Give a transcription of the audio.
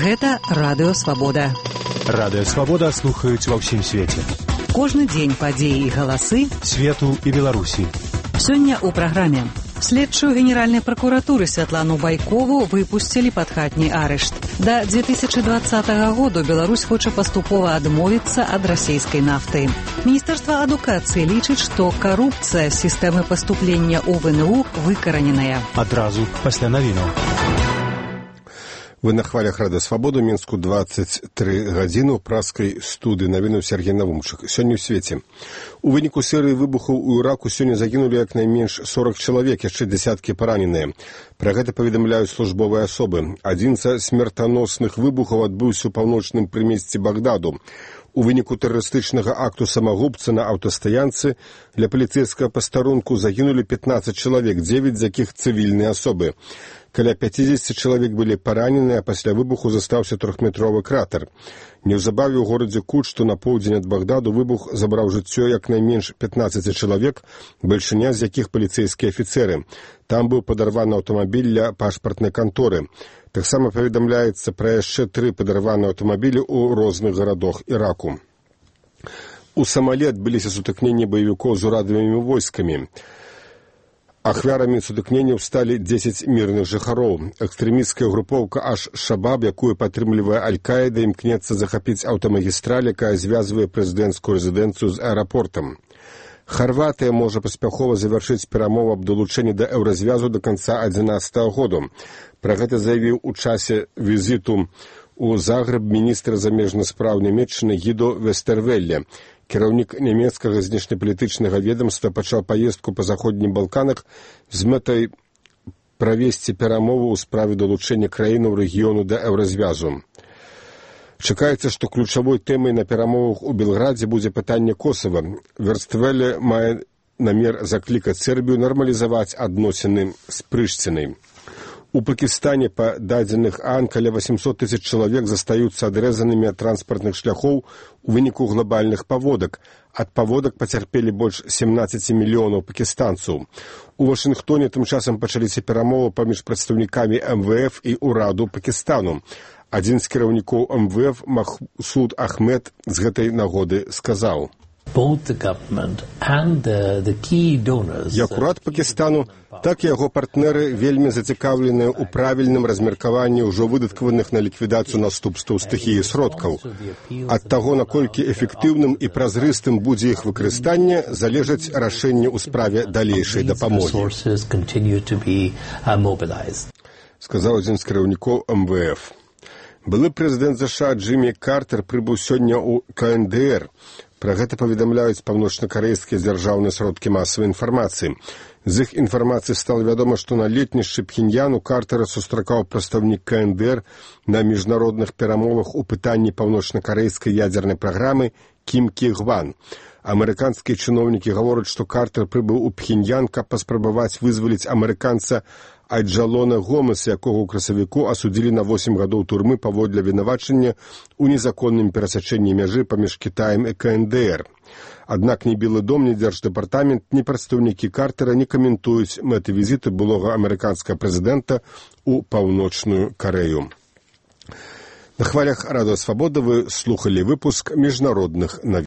Гэта Радыё Свабода. Радыё Свабода слухаюць ва ўсім свеце. Кожны дзень падзеі і галасы свету і Беларусі. Сёння ў праграме. Следчую Генеральнай пракуратуры Святлану Байкову выпусцілі пад хатні арышт. Да 2020 году Беларусь хоча паступова адмовіцца ад расійскай нафты. Міністэрства адукацыі лічыць, што карупцыя сістэмы паступлення ў ВНУ выкараненая. Адразу пасля навінаў. Вы на хвалях Радыё Свабода, Мінску 23 гадзіны ў праскай студыі навіну Сергей Навумчык. Сёння ў свеце. У выніку серыі выбухаў у Іраку сёння загінулі як найменш 40 чалавек, яшчэ дзясяткі параненыя. Пра гэта паведамляюць службовыя асобы. Адзін са смертаносных выбухаў адбыўся ў паўночным прымесці Багдаду. У выніку тэрарыстычнага акту самагубца на аўтастаянцы для паліцэйскага пастарунку загінулі 15 чалавек, 9 з якіх цывільныя асобы. Каля 50 чалавек былі параненыя, а пасля выбуху застаўся 3-метровы кратер. Неўзабаве ў горадзе Кут, што на поўдзень ад Багдаду, выбух забраў жыццё як найменш 15 чалавек, бальшыня з якіх паліцэйскія афіцэры. Там быў падарваны аўтамабіль для пашпартнай канторы. Таксама паведамляецца пра яшчэ 3 падарваныя аўтамабілі ў розных гарадах Іраку. У Самалі адбыліся сутыкненні баевікоў з урадавымі войскамі. Ахвярамі сутыкненняў сталі 10 мірных жыхароў. Экстрэмісцкая групоўка Аш-Шабаб, якую падтрымлівае Аль-Каіда, імкнецца захапіць аўтамагістраль, якая звязвае прэзідэнцкую рэзідэнцыю з аэрапортам. Харватыя можа паспяхова завяршыць перамовы аб далучэнні да еўразвязу да канца 2011 году. Пра гэта заявіў у часе візіту ў Загрэб міністр замежных спраў Нямецчыны Гідо Вестервелле. Кіраўнік нямецкага знешнепалітычнага ведамства пачаў паездку па заходнім Балканах з мэтай правесці перамову ў справе далучэння краінаў рэгіёну да еўразвязу. Чакаецца, што ключавой тэмай на перамовах у Белградзе будзе пытанне Косава. Верствелле мае намер заклікаць Сербію нармалізаваць адносіны з Прыштінай. У Пакістане, па дадзеных ААН, каля 800 тысяч чалавек застаюцца адрэзанымі ад транспартных шляхоў у выніку глобальных паводак. Ад паводак пацярпелі больш 17 мільёнаў пакістанцаў. У Вашынгтоне тым часам пачаліся перамовы паміж прадстаўнікамі МВФ і ўраду Пакістану. Адзін з кіраўнікоў МВФ, Махсуд Ахмед, з гэтай нагоды сказаў: як урад Пакістану, так і яго партнеры вельмі зацікаўленыя ў правільным размеркаванні ўжо выдаткаваных на ліквідацыю наступстваў стыхіі сродкаў. Ад таго, наколькі эфектыўным і празрыстым будзе іх выкарыстанне, залежаць рашэнне ў справе далейшай дапамогі. Сказаў адзін з кіраўнікоў МВФ. Былы прэзідэнт ЗША Джиммі Картер прыбыў сёння ў КНДР. Пра гэта паведамляюць паўночнакарэйскія дзяржаўныя сродкі масавай інфармацыі. З іх інфармацыі стала вядома, што на летнішчы Пхеньяну Картера сустракаў прадстаўнік КНДР на міжнародных перамовах у пытанні паўночнакарэйскай ядзернай праграмы Кім Кі Гван. Амерыканскія чыноўнікі гавораць, што Картер прыбыў у Пхеньян, каб паспрабаваць вызваліць амерыканца Айджалона Гомеса, якога ў красавіку асудзілі на 8 гадоў турмы паводле вінавачання ў незаконным перасячэнні мяжы паміж Кітаем і КНДР. Аднак ні Белы дом, ні Дзярждэпартамент, ні прадстаўнікі Картера не каментуюць мэты візіту былога амерыканскага прэзідэнта ў Паўночную Карэю. На хвалях Радыё Свабода вы слухалі выпуск міжнародных навін.